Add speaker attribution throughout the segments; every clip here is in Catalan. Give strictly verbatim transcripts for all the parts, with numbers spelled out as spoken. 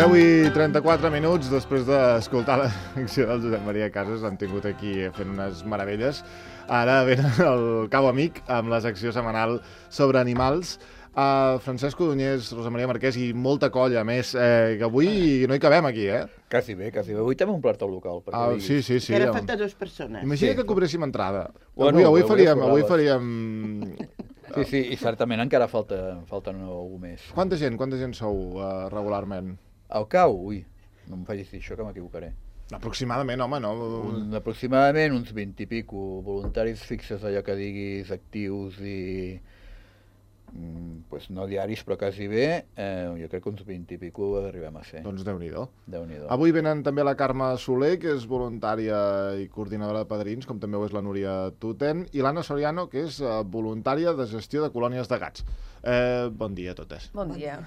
Speaker 1: deu i trenta-quatre minuts, després d'escoltar la secció del Josep Maria Casas, han tingut aquí fent unes meravelles. Ara venen el Cau Amic, amb la secció setmanal sobre animals. Uh, Francesc Codonyés, Rosa Maria Marquès i molta colla més, eh, que avui no hi cabem aquí, eh?
Speaker 2: Quasi bé, quasi bé. Avui també un plat al local.
Speaker 1: Ah, sí, sí, sí.
Speaker 3: Encara falta dues persones.
Speaker 1: Imagina
Speaker 2: Sí.
Speaker 1: que cobréssim entrada.
Speaker 2: Bueno,
Speaker 1: Avui, avui
Speaker 2: avui
Speaker 1: faríem...
Speaker 2: cobraves.
Speaker 1: Avui faríem...
Speaker 2: Sí, sí, i certament encara falta, falta algú més.
Speaker 1: Quanta gent, quanta gent sou uh, regularment?
Speaker 2: Al cau, ui, no em facis dir això que m'equivocaré.
Speaker 1: Aproximadament, home, no?
Speaker 2: Un, aproximadament uns vint i pico voluntaris fixes, allò que diguis, actius i... Mm, pues no diaris, però quasi bé. Eh, jo crec que uns vint i pico arribem a ser.
Speaker 1: Doncs Déu-n'hi-do.
Speaker 2: Déu-n'hi-do.
Speaker 1: Avui venen també la Carme Soler, que és voluntària i coordinadora de padrins, com també ho és la Núria Tuten, i l'Anna Soriano, que és uh, voluntària de gestió de colònies de gats. Eh, bon dia a totes.
Speaker 4: Bon dia.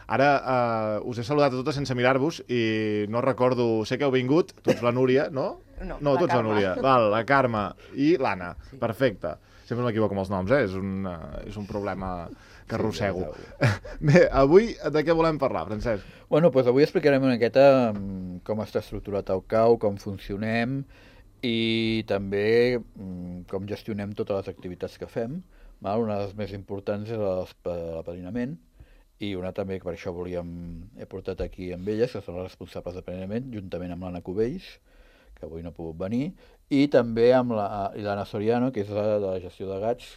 Speaker 1: Ara uh, us he saludat a totes sense mirar-vos i no recordo... Sé que heu vingut, tu ets la Núria, no?
Speaker 4: No,
Speaker 1: no
Speaker 4: la
Speaker 1: tu ets la
Speaker 4: Carme.
Speaker 1: Núria. Val, la Carme i l'Anna. Sí. Perfecte. Sempre m'equivoco amb els noms, eh? És un, uh, és un problema que arrossego.
Speaker 2: Sí,
Speaker 1: Bé, avui de què volem parlar, Francesc?
Speaker 2: Bueno, doncs avui explicarem una miqueta mm, com està estructurat el cau, com funcionem i també mm, com gestionem totes les activitats que fem. Val? Una de les més importants és l'apadrinament i una també, que per això volíem, he portat aquí amb elles, que són les responsables d'apadrinament, juntament amb l'Anna Cubells, que avui no ha pogut venir, i també amb l'Anna Soriano, que és la de la gestió de gats,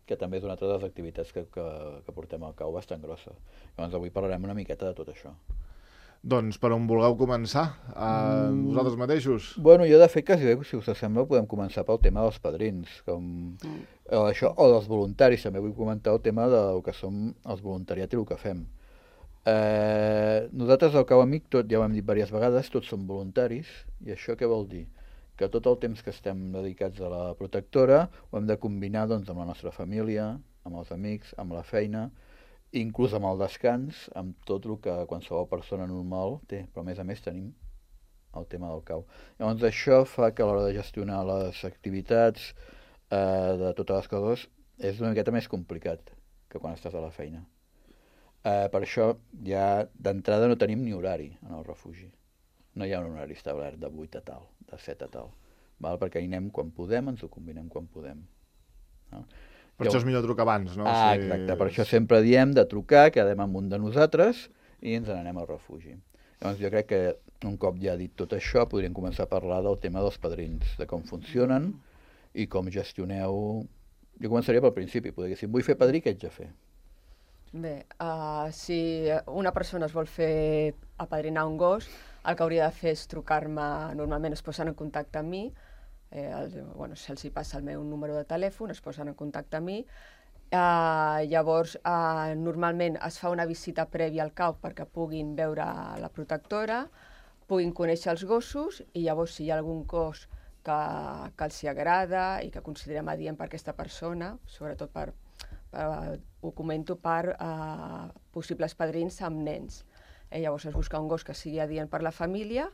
Speaker 2: que també és una altra de les activitats que, que, que portem al cau bastant grossa. Llavors avui parlarem una miqueta de tot això.
Speaker 1: Doncs per on vulgueu començar? Uh, mm. Vosaltres mateixos?
Speaker 2: Bueno, jo de fet, quasi bé, si us sembla, podem començar pel tema dels padrins, com mm. o, això, o dels voluntaris. També vull comentar el tema del que som els voluntariat i el que fem. Eh, nosaltres al Cau Amic, tot, ja ho hem dit diverses vegades, tots som voluntaris, i això què vol dir? Que tot el temps que estem dedicats a la protectora ho hem de combinar doncs, amb la nostra família, amb els amics, amb la feina, inclús amb el descans, amb tot el que qualsevol persona normal té, però a més a més tenim el tema del cau. Llavors això fa que a l'hora de gestionar les activitats eh, de totes les coses és una miqueta més complicat que quan estàs a la feina. Eh, per això ja d'entrada no tenim ni horari en el refugi. No hi ha un horari establert de vuit a tal, de set a tal, val? Perquè hi anem quan podem, ens ho combinem quan podem. No?
Speaker 1: Per això és millor trucar abans, no?
Speaker 2: Ah,
Speaker 1: si...
Speaker 2: exacte, per això sempre diem de trucar, quedem amb un de nosaltres i ens n'anem al refugi. Llavors jo crec que un cop ja dit tot això podríem començar a parlar del tema dels padrins, de com funcionen i com gestioneu... Jo començaria pel principi, podria dir, si em vull fer padrí, què haig de fer?
Speaker 4: Bé, uh, si una persona es vol fer apadrinar un gos, el que hauria de fer és trucar-me, normalment es posen en contacte amb mi, eh, el, bueno, se'ls passa el meu número de telèfon, es posen en contacte amb mi, uh, llavors uh, normalment es fa una visita prèvia al cau perquè puguin veure la protectora, puguin conèixer els gossos i llavors si hi ha algun gos que, que els hi agrada i que considerem adient per aquesta persona, sobretot per, per ho comento per uh, possibles padrins amb nens. Eh, llavors es busca un gos que sigui adient per la família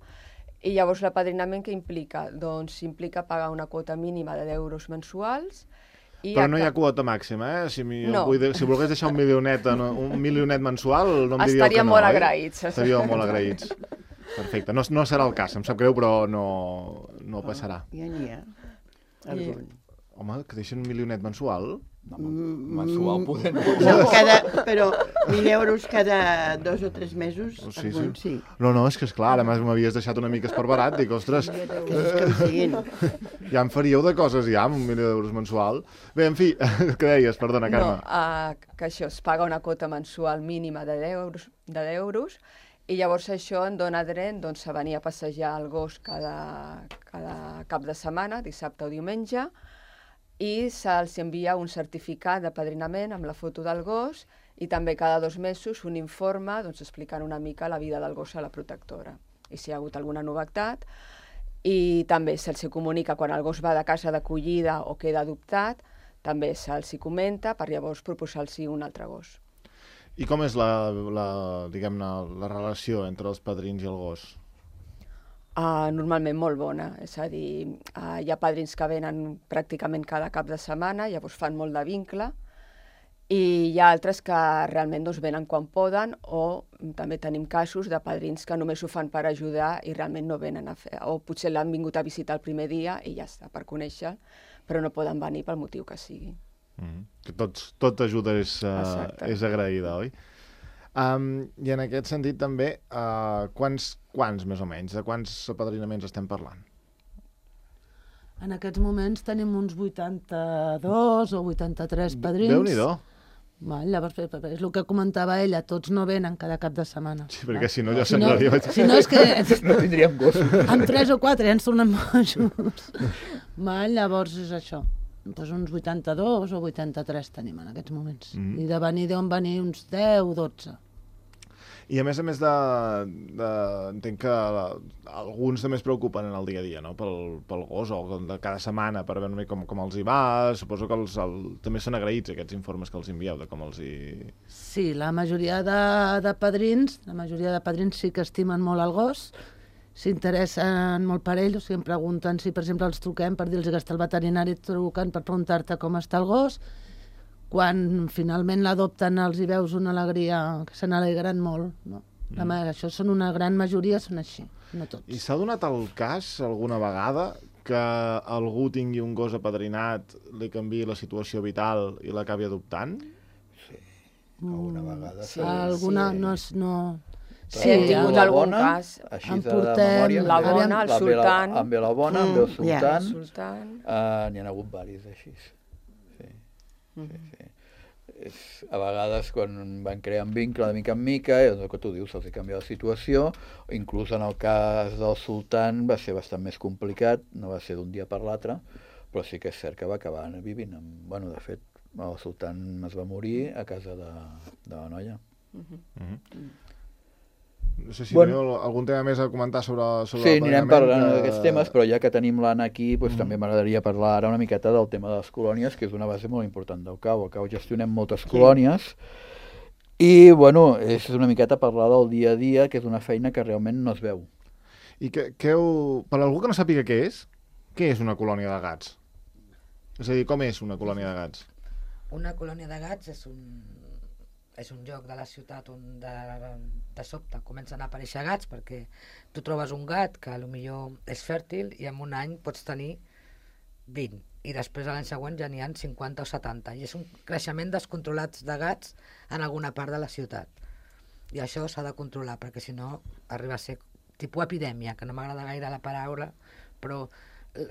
Speaker 4: i llavors l'apadrinament què implica? Doncs implica pagar una quota mínima de deu euros mensuals. I
Speaker 1: Però no hi ha quota màxima, eh? Si, mi,
Speaker 4: no.
Speaker 1: vull dir, si volgués deixar un milionet, un milionet mensual, no em diríeu
Speaker 4: Estaríem
Speaker 1: que no,
Speaker 4: molt
Speaker 1: eh?
Speaker 4: agraïts.
Speaker 1: Estaríem molt agraïts. Perfecte. No, no serà el cas, em sap greu, però no, no passarà.
Speaker 3: Oh, ja n'hi ha. Algun.
Speaker 1: Home, que deixen un milionet mensual?
Speaker 2: No, mensual poder no.
Speaker 3: No, cada, però mil euros cada dos o tres mesos,
Speaker 1: Sí,
Speaker 3: algun,
Speaker 1: sí.
Speaker 3: sí.
Speaker 1: No, no, és que esclar, ara m'havies deixat una mica esparverat, dic, ostres,
Speaker 3: Que és com siguin.
Speaker 1: ja en faríeu de coses ja, amb un milió d'euros mensual. Bé, en fi, què deies, perdona, Carme?
Speaker 4: No, uh, que això, es paga una quota mensual mínima de deu euros, de deu euros i llavors això em dona dret doncs, a venir a passejar el gos cada, cada cap de setmana, dissabte o diumenge, i se'ls envia un certificat d'apadrinament amb la foto del gos i també cada dos mesos un informe doncs, explicant una mica la vida del gos a la protectora i si hi ha hagut alguna novetat. I també se'ls comunica quan el gos va de casa d'acollida o queda adoptat, també se'ls comenta per llavors proposar-los un altre gos.
Speaker 1: I com és la, la, diguem-ne, la relació entre els padrins i el gos?
Speaker 4: Uh, normalment molt bona, és a dir, uh, hi ha padrins que venen pràcticament cada cap de setmana, llavors fan molt de vincle, I hi ha altres que realment doncs, venen quan poden, o també tenim casos de padrins que només ho fan per ajudar i realment no venen a fer, o potser l'han vingut a visitar el primer dia i ja està, per conèixer, però no poden venir pel motiu que sigui.
Speaker 1: Mm. Que tots, tot ajuda és, uh, és agraïda, oi? Um, I en aquest sentit també, uh, quants, quants més o menys, de quants apadrinaments estem parlant?
Speaker 5: En aquests moments tenim uns vuitanta-dos o vuitanta-tres padrins.
Speaker 1: Déu-n'hi-do.
Speaker 5: Val, llavors, és el que comentava ella, tots no venen cada cap de setmana.
Speaker 1: Sí, perquè si no ja
Speaker 5: si no,
Speaker 1: semblaria...
Speaker 5: si no és que...
Speaker 2: No tindríem gossos.
Speaker 5: Amb tres o quatre ja ens tornem bojos. Val, llavors és això. Pues uns vuitanta-dos o vuitanta-tres tenim en aquests moments. Mm. I de venir deuen venir uns deu o dotze.
Speaker 1: I a més a més de... de entenc que la, alguns també es preocupen en el dia a dia, no? Pel, pel gos, o de cada setmana, per veure com, com els hi va. Suposo que els, el, també són agraïts aquests informes que els envieu, de com els hi...
Speaker 5: Sí, la majoria de, de padrins, la majoria de padrins sí que estimen molt el gos, s'interessen molt per ell, o sigui, em pregunten si, per exemple, els truquem per dir-los que està el veterinari trucant per preguntar-te com està el gos. Quan finalment l'adopten els hi veus una alegria, que se n'alegren molt. No? La, mm. Això són una gran majoria, són així, no tots.
Speaker 1: I s'ha donat el cas alguna vegada que algú tingui un gos apadrinat, li canviï la situació vital i l'acabi adoptant?
Speaker 2: Sí, alguna vegada.
Speaker 5: Sí, alguna, sí. no... És, no...
Speaker 4: Sí, sí, hem tingut algun bona, cas.
Speaker 2: Així de memòria.
Speaker 4: La bona, el sultan.
Speaker 2: Em ve la bona, em ve el sultan.
Speaker 4: Mm, sultan.
Speaker 2: Uh, N'hi ha hagut varis així. Sí. Sí, sí. És, a vegades quan van creant vincle de mica en mica, és el que tu dius, se'ls ha canviat la situació, inclús en el cas del sultan va ser bastant més complicat, no va ser d'un dia per l'altre, però sí que és cert que va acabar vivint amb... Bueno, de fet, el sultan es va morir a casa de, de la noia. Uh-huh.
Speaker 1: Uh-huh. No sé si
Speaker 2: bueno,
Speaker 1: teniu algun tema més a comentar sobre, sobre
Speaker 2: sí, anirem parlant
Speaker 1: de...
Speaker 2: d'aquests temes, però ja que tenim l'Anna aquí, doncs mm. també m'agradaria parlar ara una miqueta del tema de les colònies, que és una base molt important del C A U. Al C A U gestionem moltes sí. colònies i, bueno, és una miqueta parlar del dia a dia, que és una feina que realment no es veu.
Speaker 1: I que, que heu... per algú que no sàpiga què és, què és una colònia de gats? És a dir, com és una colònia de gats?
Speaker 6: Una colònia de gats és un... és un lloc de la ciutat on de, de sobte comencen a aparèixer gats, perquè tu trobes un gat que potser és fèrtil i en un any pots tenir vint, i després l'any següent ja n'hi ha cinquanta o setanta, i és un creixement descontrolat de gats en alguna part de la ciutat. I això s'ha de controlar, perquè si no arriba a ser tipus epidèmia, que no m'agrada gaire la paraula, però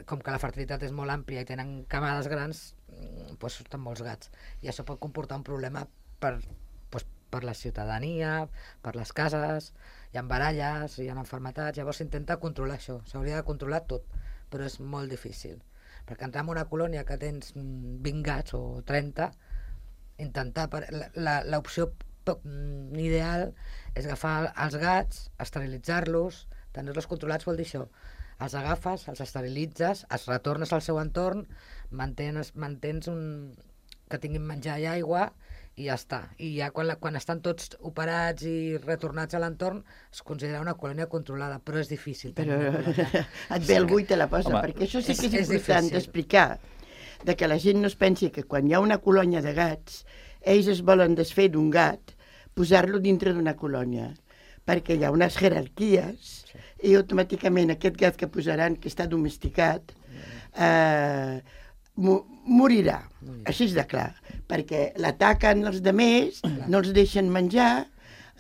Speaker 6: com que la fertilitat és molt àmplia i tenen camades grans, doncs surten molts gats. I això pot comportar un problema per... per la ciutadania, per les cases, hi ha baralles, hi ha enfermetats, llavors s'intenta controlar això, s'hauria de controlar tot, però és molt difícil, perquè entrar en una colònia que tens vint gats o trenta, intentar, l'opció ideal és agafar els gats, esterilitzar-los, tenir-los controlats vol dir això, els agafes, els esterilitzes, els retornes al seu entorn, mantens, mantens un... que tinguin menjar i aigua, i ja està. I ja quan, la, quan estan tots operats i retornats a l'entorn es considera una colònia controlada, però és difícil.
Speaker 3: Però et ve algú i te la posa, home, perquè això sí que és, és important d'explicar, de que la gent no es pensi que quan hi ha una colònia de gats, ells es volen desfer d'un gat, posar-lo dintre d'una colònia, perquè hi ha unes jerarquies sí. i automàticament aquest gat que posaran, que està domesticat, eh, morirà, així és de clar, perquè l'ataquen els demés, no els deixen menjar,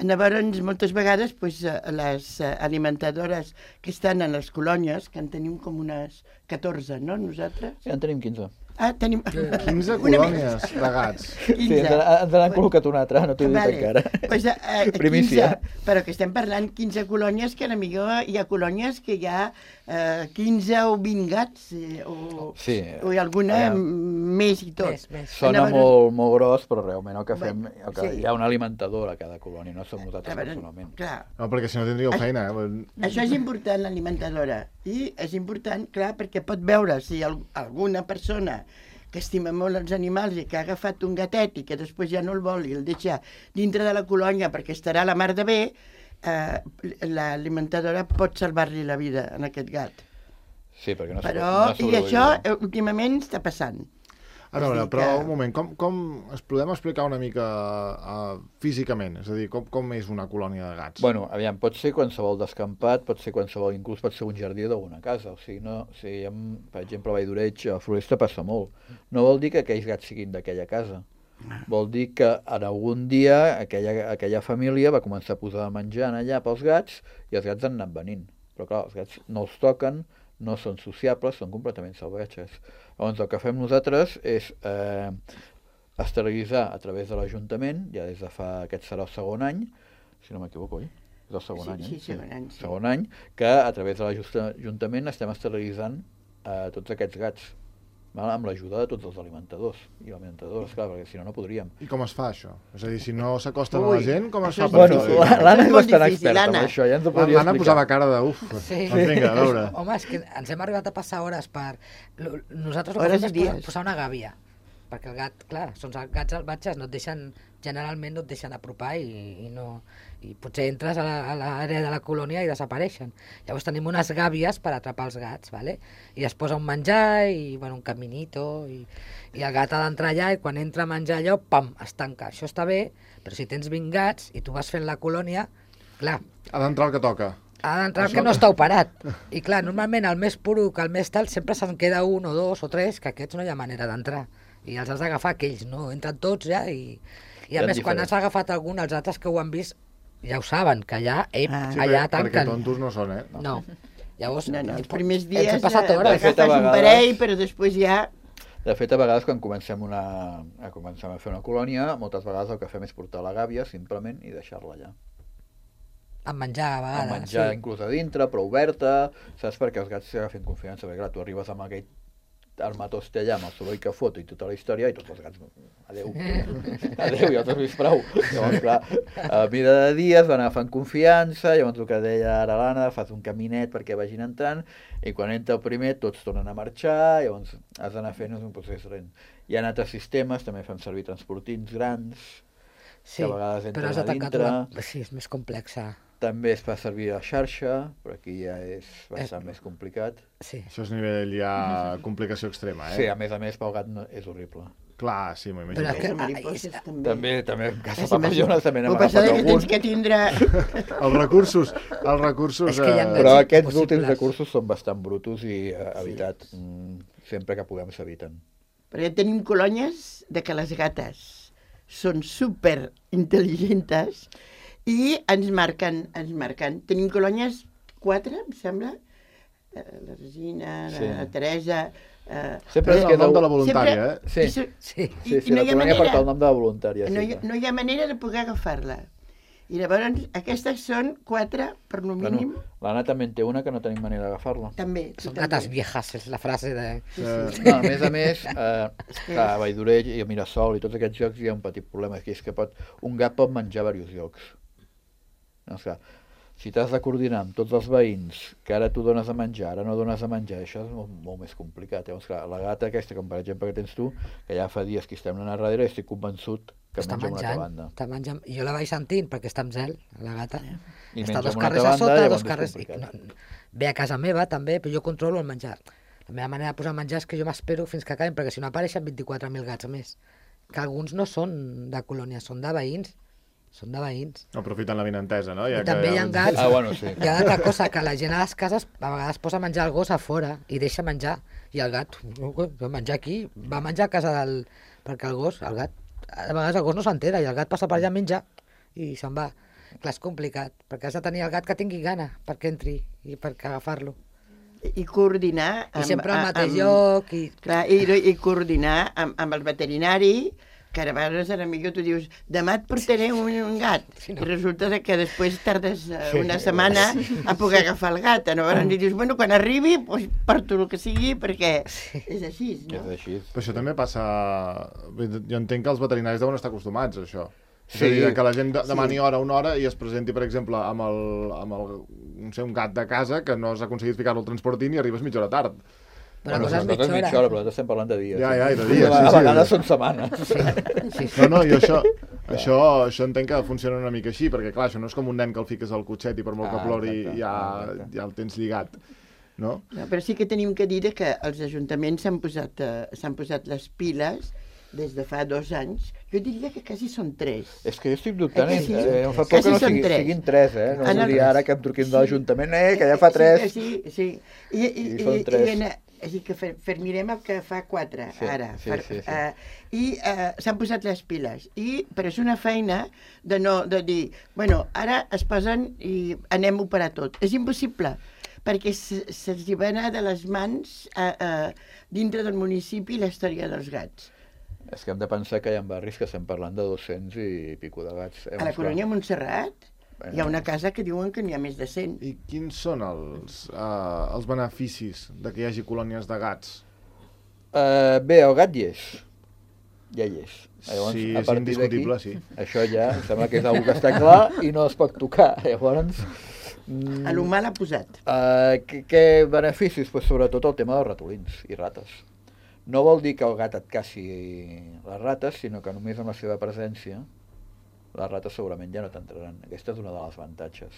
Speaker 3: llavors moltes vegades pues, les alimentadores que estan en les colònies, que en tenim com unes catorze, no, nosaltres?
Speaker 2: Sí, en tenim quinze.
Speaker 3: Ah, tenim...
Speaker 1: quinze colònies de gats.
Speaker 2: Sí, ens n'han col·locat una altra, no t'ho he dit vale. encara.
Speaker 3: Pues, uh, Primícia. quinze, però que estem parlant quinze colònies, que potser hi ha colònies que hi ha uh, quinze o vint gats, eh, o, sí. o hi ha alguna ja. més i tot. Més, més.
Speaker 2: Sona Anava... molt, molt gros, però realment el que fem, el que sí. hi ha un alimentador a cada colònia, no som nosaltres Anava... personalment.
Speaker 3: Clar.
Speaker 1: No, perquè si no tindríeu feina. Eh?
Speaker 3: Això és important, l'alimentadora. I és important, clar, perquè pot veure si alguna persona que estima molt els animals i que ha agafat un gatet i que després ja no el vol i el deixa dintre de la colònia perquè estarà a la mar de bé, eh, l'alimentadora pot salvar-li la vida a aquest gat.
Speaker 2: Sí, perquè no
Speaker 3: Però, no i això últimament està passant.
Speaker 1: A veure, però un moment, com, com es podem explicar una mica uh, físicament? És a dir, com, com és una colònia de gats?
Speaker 2: Bueno, aviam, pot ser qualsevol descampat, pot ser qualsevol, inclús pot ser un jardí d'alguna casa. O sigui, no, o sigui, amb, per exemple, a Valldoreig, a Floresta passa molt. No vol dir que aquells gats siguin d'aquella casa. Vol dir que en algun dia aquella, aquella família va començar a posar de menjar allà pels gats i els gats han anat venint. Però clar, els gats no els toquen, no són sociables, són completament salvatges. Llavors el que fem nosaltres és eh, esterilitzar a través de l'Ajuntament, ja des de fa, aquest serà el segon any, si no m'equivoco, oi? És el segon
Speaker 3: Sí,
Speaker 2: any,
Speaker 3: sí,
Speaker 2: eh?
Speaker 3: segon any, sí.
Speaker 2: Segon any, que a través de l'Ajuntament estem esterilitzant eh, tots aquests gats, val? Amb l'ajuda de tots els alimentadors i alimentadores, clar, perquè si no, no podríem.
Speaker 1: I com es fa, això? És a dir, si no s'acosten a
Speaker 3: Ui,
Speaker 1: la gent, com es
Speaker 3: això
Speaker 1: fa
Speaker 3: és
Speaker 1: per
Speaker 2: Bueno,
Speaker 1: fer-ho?
Speaker 3: difícil.
Speaker 2: l'Anna
Speaker 3: És
Speaker 2: és
Speaker 3: molt
Speaker 2: bastant
Speaker 3: difícil,
Speaker 2: experta en
Speaker 3: Anna.
Speaker 2: això, ja ens ho podria
Speaker 1: L'Anna
Speaker 2: explicar.
Speaker 1: posava cara de uf.
Speaker 6: Sí.
Speaker 1: Doncs vinga, a veure.
Speaker 6: Home, és que ens hem arribat a passar hores per... lo- Nosaltres el que
Speaker 3: Hores
Speaker 6: fem
Speaker 3: i
Speaker 6: és posar,
Speaker 3: dies.
Speaker 6: posar una gàbia, perquè el gat, clar, són els gats salvatges, no et deixen, generalment no et deixen apropar i, i no... I potser entres a la- a l'àrea de la colònia i desapareixen. Llavors tenim unes gàbies per atrapar els gats, ¿vale? I es posa un menjar i, bueno, un caminito i, i el gat ha d'entrar allà i quan entra a menjar allò, pam, es tanca. Això està bé, però si tens vint gats i tu vas fent la colònia, clar,
Speaker 1: Ha d'entrar el que toca.
Speaker 6: ha d'entrar el
Speaker 1: Això-
Speaker 6: que no està operat. I clar, normalment el més puro que el més tal sempre se'n queda un o dos o tres, que aquests no hi ha manera d'entrar. I els has d'agafar aquells, no? Entren tots ja i... I a
Speaker 2: Eren
Speaker 6: més, quan
Speaker 2: diferents.
Speaker 6: has agafat algun, els altres que ho han vist ja ho saben, que allà, ep,
Speaker 3: Ah.
Speaker 1: Sí,
Speaker 6: allà
Speaker 1: perquè, perquè
Speaker 6: tanquen.
Speaker 1: tontos no són, eh?
Speaker 6: No. Llavors,
Speaker 3: No, no, els
Speaker 6: ens-
Speaker 3: primers
Speaker 6: ens
Speaker 3: dies
Speaker 6: hem passat
Speaker 3: eh,
Speaker 6: hores.
Speaker 2: De fet, a
Speaker 3: agafes un
Speaker 2: vegades-
Speaker 3: parell, però després ja...
Speaker 2: De fet, a vegades, quan comencem, una, a comencem a fer una colònia, moltes vegades el que fem és portar la gàbia, simplement, i deixar-la allà.
Speaker 6: Amb menjar, a vegades.
Speaker 2: Amb menjar
Speaker 6: sí.
Speaker 2: inclús a dintre, però oberta, saps? Perquè els gats s'agafen confiança, perquè clar, tu arribes amb aquell armatoste allà, amb el soroll que fot i tota la història, i tots els gats, adeu, adeu, ja t'has vist prou. Llavors, clar, a mida de dies van agafant confiança, llavors el que deia ara l'Anna, fas un caminet perquè vagin entrant, i quan entra el primer tots tornen a marxar, llavors has d'anar fent un procés lent. Hi ha altres sistemes, també fem servir transportins grans,
Speaker 6: Sí,
Speaker 2: que a vegades
Speaker 6: però
Speaker 2: entren
Speaker 6: has
Speaker 2: a
Speaker 6: de tancar
Speaker 2: dintre.
Speaker 6: tot. Sí, és més complexa.
Speaker 2: També es fa servir la xarxa, però aquí ja és bastant
Speaker 6: És-
Speaker 2: més complicat.
Speaker 6: Sí.
Speaker 1: Això és nivell ja complicació extrema, eh?
Speaker 2: Sí, a més a més, pel gat no, és horrible.
Speaker 1: Clar, sí, m'ho
Speaker 6: Però
Speaker 1: imagino.
Speaker 6: és que-
Speaker 3: Les mariposses
Speaker 6: ah,
Speaker 3: també.
Speaker 2: També, també en casa
Speaker 3: Sí,
Speaker 2: de papallones també n'hem
Speaker 3: Ho passa
Speaker 2: agafat
Speaker 3: que tens
Speaker 2: algun,
Speaker 3: que tindre...
Speaker 1: Els recursos, els recursos...
Speaker 6: És que hi ha
Speaker 1: eh,
Speaker 2: però
Speaker 6: gats
Speaker 2: aquests
Speaker 6: impossibles.
Speaker 2: últims recursos són bastant brutos i eh, evitat, mm, sempre que puguem s'eviten.
Speaker 3: Perquè tenim colònies de que les gates són super intel·ligents i ens marquen, ens marquen. Tenim colònies, quatre, em sembla, Eh, la Regina,
Speaker 2: Sí.
Speaker 3: la Teresa... Eh,
Speaker 2: Sempre
Speaker 1: És
Speaker 2: es
Speaker 1: el
Speaker 2: queda...
Speaker 1: nom de la
Speaker 2: un-
Speaker 1: voluntària, eh?
Speaker 3: sempre-
Speaker 2: Sí.
Speaker 3: i se-
Speaker 6: Sí.
Speaker 2: Sí,
Speaker 3: i
Speaker 2: sí,
Speaker 3: no
Speaker 2: la
Speaker 3: hi ha
Speaker 2: colònia
Speaker 3: manera.
Speaker 2: porta el nom de la voluntària.
Speaker 3: no,
Speaker 2: Sí,
Speaker 3: hi,
Speaker 2: clar.
Speaker 3: no hi ha manera de poder agafar-la. I llavors, aquestes són quatre, per lo mínim,
Speaker 2: Bueno, l'Anna també en té una que no tenim manera d'agafar-la.
Speaker 3: també. tu
Speaker 6: Són
Speaker 3: també.
Speaker 6: gates viejas, és la frase de...
Speaker 1: Eh,
Speaker 2: No, a més a més, eh,
Speaker 3: que
Speaker 2: clar, a
Speaker 3: és-
Speaker 2: Valldoreig i a Mirasol i tots aquests llocs hi ha un petit problema, que és que pot, un gat pot menjar a diversos llocs. No, esclar, si t'has de coordinar amb tots els veïns, que ara tu dones a menjar, ara no dones a menjar, això és molt, molt més complicat. Llavors, clar, la gata aquesta, com per exemple que tens tu, que ja fa dies que estem anant darrere, estic convençut que
Speaker 6: Està
Speaker 2: menja a una altra
Speaker 6: menjant,
Speaker 2: banda.
Speaker 6: està menjant. I jo la vaig sentint perquè està amb zel, la gata.
Speaker 2: I
Speaker 6: Està
Speaker 2: menja
Speaker 6: dos
Speaker 2: amb una
Speaker 6: carrers
Speaker 2: altra
Speaker 6: a sota,
Speaker 2: banda,
Speaker 6: dos
Speaker 2: llavors és
Speaker 6: carrers... I,
Speaker 2: complicat.
Speaker 6: no, ve a casa meva també, però jo controlo el menjar. La meva manera de posar menjar és que jo m'espero fins que acaben, perquè si no apareixen vint-i-quatre mil gats més. Que alguns no són de colònia, són de veïns. Són de veïns.
Speaker 1: Aprofitant la vinentesa, no?
Speaker 6: I també hi ha gats.
Speaker 2: Ah, bueno, sí.
Speaker 6: Hi ha altra cosa, que la gent a les cases a vegades posa menjar al gos a fora i deixa menjar. I el gat, va menjar aquí, va menjar a casa del... Perquè el gos, el gat, a vegades el gos no s'entera i el gat passa per allà a menjar i se'n va. Clar, és complicat, perquè has de tenir el gat que tingui gana perquè entri i perquè agafar-lo.
Speaker 3: I coordinar...
Speaker 6: I sempre al
Speaker 3: a-
Speaker 6: mateix
Speaker 3: amb-
Speaker 6: lloc i...
Speaker 3: Clar, i, i coordinar amb, amb el veterinari, que a vegades a millor tu dius demà et portaré un, un gat,
Speaker 6: Sí, no.
Speaker 3: i resulta que després tardes eh, una setmana a poder agafar el gat. Llavors li dius, bueno, quan arribi, doncs porto el que sigui, perquè és així, no?
Speaker 2: És així.
Speaker 1: Però això també passa... Jo entenc que els veterinaris deuen estar acostumats a això. És
Speaker 2: Sí.
Speaker 1: a dir, que la gent de- demani hora una hora i es presenti, per exemple, amb, el, amb el, no sé, un gat de casa que no has aconseguit ficar-lo al transportint i arribes mitja hora tard.
Speaker 6: Però
Speaker 2: Bueno,
Speaker 6: coses
Speaker 2: nosaltres
Speaker 6: mitja
Speaker 2: mitja
Speaker 6: hora.
Speaker 2: hora, però nosaltres estem parlant de dies.
Speaker 1: Ja,
Speaker 2: sí.
Speaker 1: ja, i de dies,
Speaker 2: A,
Speaker 1: sí,
Speaker 2: a
Speaker 1: sí.
Speaker 2: vegades són setmanes.
Speaker 6: Sí, sí.
Speaker 1: No, no, i això, això, això entenc que funciona una mica així, perquè clar, això no és com un nen que el fiques al cotxet i per molt que
Speaker 2: Ah,
Speaker 1: plori
Speaker 2: exacte,
Speaker 1: ja,
Speaker 2: ah, exacte.
Speaker 1: ja el tens lligat. no?
Speaker 3: No, però sí que tenim que dir que els ajuntaments s'han posat, eh, s'han posat les piles des de fa dos anys. Jo diria que quasi són tres.
Speaker 2: És que jo estic dubtant,
Speaker 3: Eh
Speaker 2: eh,
Speaker 3: que sí?
Speaker 2: eh, em fa por
Speaker 3: Quasi
Speaker 2: que no
Speaker 3: són
Speaker 2: sigui,
Speaker 3: tres.
Speaker 2: siguin tres, eh? No
Speaker 3: Ah, no,
Speaker 2: vull dir
Speaker 3: tres.
Speaker 2: ara que em truquin de l'Ajuntament, eh, que ja fa
Speaker 3: Sí,
Speaker 2: tres.
Speaker 3: sí, sí. I, i,
Speaker 2: I són
Speaker 3: i,
Speaker 2: tres.
Speaker 3: i en, així que fer, fermirem el que fa quatre,
Speaker 2: Sí,
Speaker 3: ara.
Speaker 2: sí,
Speaker 3: Per,
Speaker 2: sí, sí.
Speaker 3: Uh, I uh, s'han posat les piles. I, però és una feina de, no, de dir, bueno, ara es posen i anem a operar tot. És impossible, perquè se- se'ls hi va anar de les mans uh, uh, dintre del municipi la història dels gats.
Speaker 2: És que hem de pensar que hi ha barris que estem parlant de dos-cents i pico de gats. Eh?
Speaker 3: A la colònia Montserrat
Speaker 2: Bueno.
Speaker 3: hi ha una casa que diuen que n'hi ha més de cent.
Speaker 1: I quins són els, uh, els beneficis de que hi hagi colònies de gats?
Speaker 2: Uh, bé, el gat hi és. Ja hi és.
Speaker 1: Sí,
Speaker 2: a
Speaker 1: és
Speaker 2: partir
Speaker 1: indiscutible,
Speaker 2: d'aquí,
Speaker 1: sí.
Speaker 2: Això ja em sembla que és una que està clar i no es pot tocar. Llavors, mm,
Speaker 3: A l'humà l'ha posat.
Speaker 2: uh, què, què beneficis? Pues sobretot el tema dels ratolins i rates. No vol dir que el gat et caci les rates, sinó que només amb la seva presència les rates segurament ja no t'entraran. Aquesta és una de les avantatges.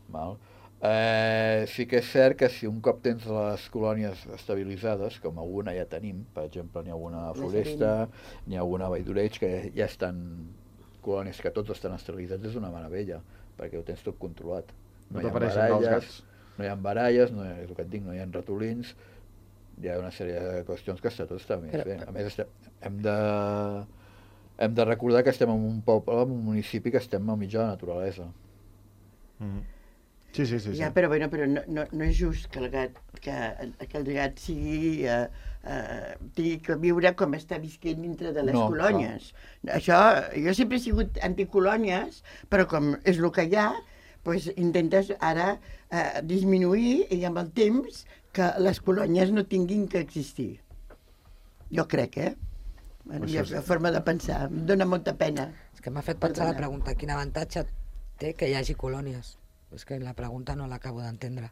Speaker 2: Val? Eh, sí que és cert que si un cop tens les colònies estabilitzades, com alguna ja tenim, per exemple, n'hi ha alguna a Floresta, n'hi ha alguna a Valldoreig, que ja estan colònies que tots estan estabilitzats, és una meravella, perquè ho tens tot controlat.
Speaker 1: No
Speaker 2: hi ha
Speaker 1: t'apareixen els
Speaker 2: baralles,
Speaker 1: gats.
Speaker 2: no hi ha baralles, no hi ha, és el que et dic, no hi ha ratolins, hi ha una sèrie de qüestions que està tot està més
Speaker 6: Però-
Speaker 2: bé. A més, estem, hem de... Hem de recordar que estem en un poble, en un municipi que estem al mig de la naturalesa.
Speaker 1: Mm. Sí, sí, sí. sí.
Speaker 3: Ja, però, bueno, però no, no, no és just que el gat, que, que el gat sigui, eh, eh, tingui que viure com està visquent dintre de les
Speaker 2: No,
Speaker 3: colònies. Això, jo sempre he sigut anticolònies, però com és el que hi ha, doncs intentes ara eh, disminuir i amb el temps que les colònies no tinguin que existir. Jo crec, eh? Bueno,
Speaker 1: Això
Speaker 3: és
Speaker 1: sí.
Speaker 3: la forma de pensar. Em dóna molta pena.
Speaker 6: És que m'ha fet pensar la
Speaker 3: Perdona.
Speaker 6: pregunta, quin avantatge té que hi hagi colònies? És que la pregunta no l'acabo d'entendre.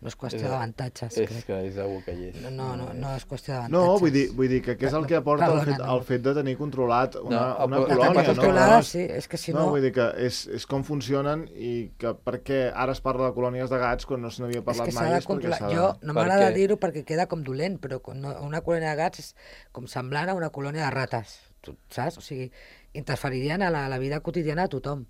Speaker 6: No és qüestió
Speaker 2: És-
Speaker 6: d'avantatges,
Speaker 2: És
Speaker 6: crec.
Speaker 2: que és algo que hi és.
Speaker 6: No, no, no, no és qüestió d'avantatges.
Speaker 1: No, vull dir, vull dir que què és el que aporta el fet,
Speaker 6: Perdona, no.
Speaker 1: el fet de tenir controlat una,
Speaker 2: No,
Speaker 1: una
Speaker 2: el-
Speaker 6: La
Speaker 1: colònia,
Speaker 6: capa
Speaker 1: no?
Speaker 6: controlada,
Speaker 1: No és-
Speaker 6: sí, és que si
Speaker 1: no,
Speaker 6: no...
Speaker 1: vull dir que és, és com funcionen i que per què ara es parla de colònies de gats quan no se n'havia
Speaker 6: És
Speaker 1: parlat
Speaker 6: que s'ha
Speaker 1: mai.
Speaker 6: de
Speaker 1: és perquè
Speaker 6: controlar.
Speaker 1: s'ha de-
Speaker 6: Jo no
Speaker 2: Per
Speaker 6: m'agrada
Speaker 2: què?
Speaker 6: dir-ho perquè queda com dolent, però quan no- una colònia de gats és com semblant a una colònia de rates, tu saps? O sigui, interferirien a la, a la vida quotidiana de tothom.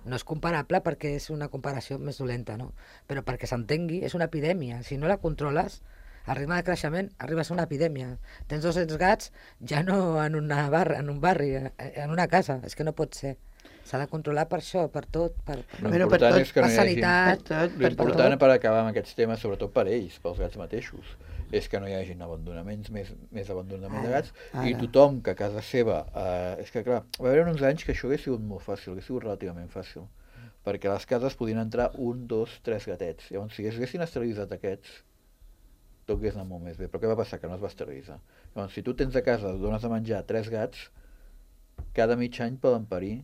Speaker 6: No és comparable perquè és una comparació més dolenta, no? Però perquè s'entengui, és una epidèmia. Si no la controles, al ritme de creixement arribes a una epidèmia. Tens dos-cents gats ja no en, una bar, en un barri, eh, en una casa. És que no pot ser. S'ha de controlar per això, per tot, per, per,
Speaker 2: L'important
Speaker 3: Bueno, per tot,
Speaker 2: és que no
Speaker 6: per
Speaker 2: hi hagi...
Speaker 6: sanitat.
Speaker 3: Per tot, per
Speaker 2: L'important
Speaker 3: tot.
Speaker 2: per acabar amb aquests temes, sobretot per ells, pels gats mateixos, és que no hi hagin abandonaments, més, més abandonament de
Speaker 3: Ara,
Speaker 2: gats, i
Speaker 3: ara.
Speaker 2: tothom que a casa seva... Eh, és que, clar, va haver uns anys que això hauria sigut molt fàcil, hauria sigut relativament fàcil, perquè a les cases podien entrar un, dos, tres gatets. Llavors, si haguessin esterilitzat aquests, tot hagués anat molt més bé. Però què va passar? Que no es va esterilitzar. Llavors, si tu tens a casa, dones de menjar tres gats, cada mig any poden parir,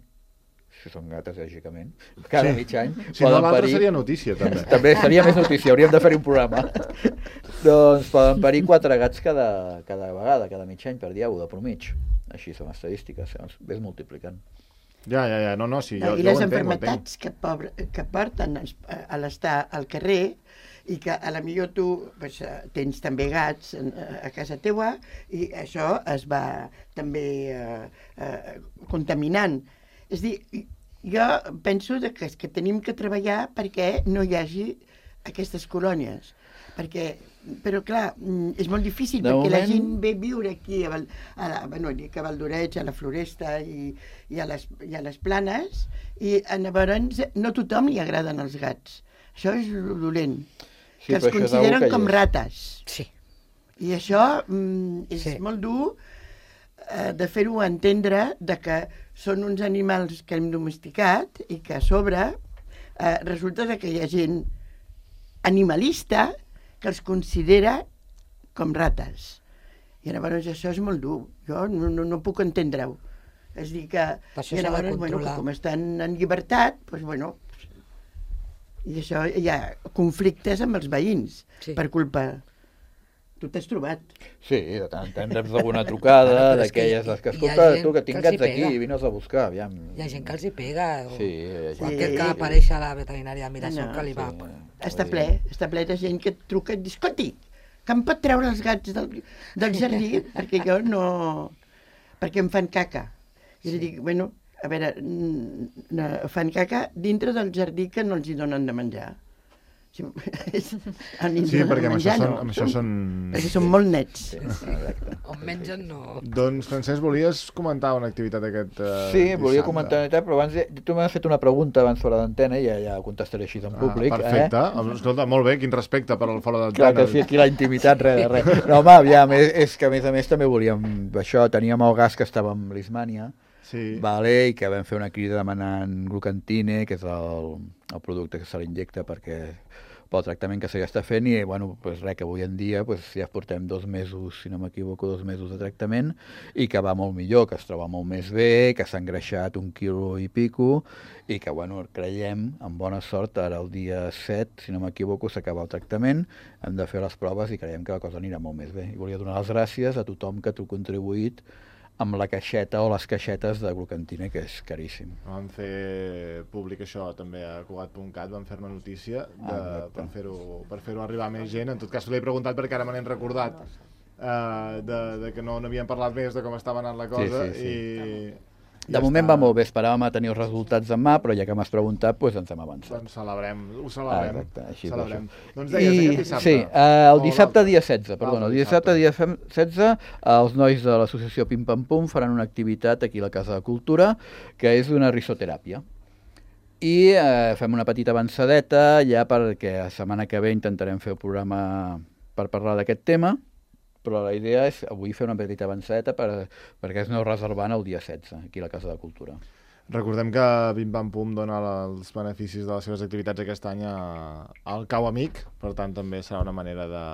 Speaker 2: si són gates, lògicament, cada
Speaker 1: Sí.
Speaker 2: mig any
Speaker 1: Si no,
Speaker 2: poden
Speaker 1: l'altre
Speaker 2: parir...
Speaker 1: seria notícia, també.
Speaker 2: També seria més notícia, hauríem de fer un programa. Doncs poden parir quatre gats cada, cada vegada, cada mig any, per dia u de promig. Així són estadístiques, llavors ves multiplicant.
Speaker 1: Ja, ja, ja, no, no, sí, jo,
Speaker 3: No, I
Speaker 1: jo
Speaker 3: les
Speaker 1: ho entenc, ho entenc.
Speaker 3: enfermetats que, pobre, que porten als- a l'estar al carrer i que a la millor tu pues, eh, tens també gats en- a casa teua i això es va també eh, eh, contaminant. És a dir, jo penso de que, que tenim que treballar perquè no hi hagi aquestes colònies. Perquè, però clar, mm, és molt difícil
Speaker 2: De
Speaker 3: perquè la
Speaker 2: moment-
Speaker 3: gent ve a viure aquí a, Val, a, la, bueno, dic a Valdoreig, a la Floresta i, i, a les, i a les Planes i a llavors no a tothom li agraden els gats. Això és lo dolent.
Speaker 2: Sí,
Speaker 3: Que els
Speaker 2: però això és algo
Speaker 3: consideren
Speaker 2: que hi
Speaker 3: com
Speaker 2: és.
Speaker 3: rates.
Speaker 6: Sí.
Speaker 3: I això mm, és
Speaker 6: Sí.
Speaker 3: molt dur eh, de fer-ho entendre de que són uns animals que hem domesticat i que a sobre eh, resulta de que hi ha gent animalista que els considera com rates. I llavors això és molt dur. Jo no, no, no puc entendre-ho. És dir que...
Speaker 6: Per això
Speaker 3: I
Speaker 6: s'ha de
Speaker 3: llavors, bueno, que
Speaker 6: controlar.
Speaker 3: com estan en llibertat, doncs, bueno, i això hi ha conflictes amb els veïns
Speaker 6: Sí.
Speaker 3: per culpa Tu t'has trobat.
Speaker 2: Sí, de tant en tant reps alguna trucada, d'aquelles que escolta, tu que tinc gats aquí, vine-els a buscar, aviam.
Speaker 6: Hi ha gent que els hi pega.
Speaker 2: Sí,
Speaker 6: qualsevol que apareix a la veterinària a Mirasol que li va...
Speaker 3: Està ple, està ple de gent que et truca i diu, escolti, que em pot treure els gats del, del jardí? Perquè jo no... perquè em fan caca. I li dic, bueno, a veure, fan caca dintre del jardí que no els hi donen de menjar. Sí,
Speaker 1: perquè amb això, són, amb això són...
Speaker 3: Perquè són molt nets.
Speaker 6: On mengen no...
Speaker 1: Doncs, Francesc, volies comentar una activitat aquest uh,
Speaker 2: Sí, volia comentar una activitat, però abans tu m'has fet una pregunta abans fora d'antena i ja, ja contestaré així en públic.
Speaker 1: Ah, perfecte, eh? Escolta, molt bé, quin respecte per al fora d'antena.
Speaker 2: Clar que sí, aquí la intimitat, res de res. No, home, aviam, és, és que a més a més també volíem això, teníem el gas que estava amb l'Ismània, sí. Vale, i que vam fer una crida demanant glucantine, que és el, el producte que se l'injecta perquè pel tractament que s'està fent, i bueno, pues res, que avui en dia pues, ja portem dos mesos, si no m'equivoco, dos mesos de tractament, i que va molt millor, que es troba molt més bé, que s'ha engreixat un quilo i pico, i que bueno, creiem, amb bona sort, ara el dia set, si no m'equivoco, s'acaba el tractament, hem de fer les proves i creiem que la cosa anirà molt més bé. I volia donar les gràcies a tothom que t'ho ha contribuït amb la caixeta o les caixetes de glucantina, que és caríssim.
Speaker 1: Vam fer públic això també a Cugat punt cat, vam fer una notícia de, ah, per fer-ho per fer-ho arribar a més gent. En tot cas, l'he preguntat perquè ara me n'he recordat uh, de, de que no n'havíem parlat més de com estava anant la cosa. Sí, sí, sí. I...
Speaker 2: De ja moment està. Va molt bé, esperàvem a tenir els resultats demà, però ja que m'has preguntat, doncs ens hem avançat.
Speaker 1: Doncs celebrem, ho celebrem. Ah, exacte, així celebrem. Doncs
Speaker 2: deies, I, aquest dissabte. Sí, uh, el dissabte dia setze, perdona, el dissabte dia setze, els nois de l'associació Pim Pam Pum faran una activitat aquí a la Casa de Cultura, que és una risoteràpia. I uh, fem una petita avançadeta, ja perquè la setmana que ve intentarem fer el programa per parlar d'aquest tema, però la idea és avui fer una petita avançadeta per, perquè es aneu reservant el dia setze, aquí a la Casa de Cultura.
Speaker 1: Recordem que Pim Pam Pum dona els beneficis de les seves activitats aquest any al Cau Amic, per tant també serà una manera de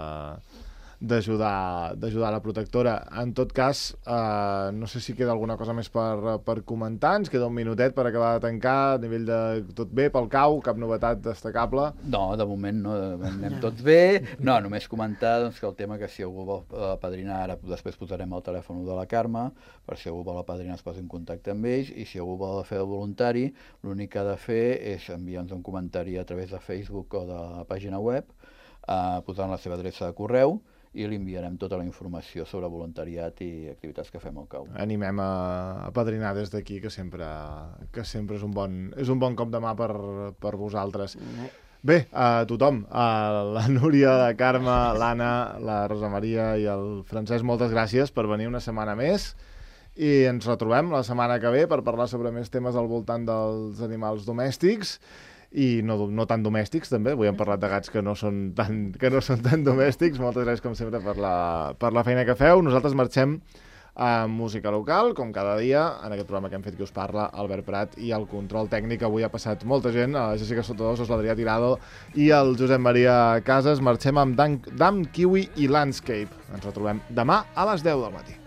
Speaker 1: d'ajudar d'ajudar la protectora. En tot cas, eh, no sé si queda alguna cosa més per, per comentar, ens queda un minutet per acabar de tancar, a nivell de tot bé pel Cau, cap novetat destacable?
Speaker 2: No, de moment no, de moment anem tots bé. No, només comentar doncs, que el tema que si algú vol apadrinar, ara després posarem el telèfon de la Carme, per si algú vol apadrinar es posi en contacte amb ells, i si algú vol fer el voluntari, l'únic que ha de fer és enviar-nos un comentari a través de Facebook o de la pàgina web, eh, posant la seva adreça de correu, i li enviarem tota la informació sobre voluntariat i activitats que fem al Cau.
Speaker 1: Animem a, a padrinar des d'aquí, que sempre, que sempre és un bon, és un bon cop de mà per, per vosaltres. Bé, a tothom, a la Núria, la Carme, l'Anna, la Rosa Maria i el Francesc, moltes gràcies per venir una setmana més, i ens retrobem la setmana que ve per parlar sobre més temes al voltant dels animals domèstics, i no, no tan domèstics també, avui hem parlat de gats que no són tan, que no són tan domèstics. Moltes gràcies com sempre per la, per la feina que feu. Nosaltres marxem a música local, com cada dia, en aquest programa que hem fet Qui us parla, Albert Prat, i el control tècnic. Avui ha passat molta gent, la Jessica Sotodosos, l'Adrià Tirado i el Josep Maria Casas. Marxem amb Dan, Dam, Kiwi i Landscape. Ens retrobem demà a les deu del matí.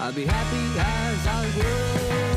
Speaker 7: I'll be happy as I grow.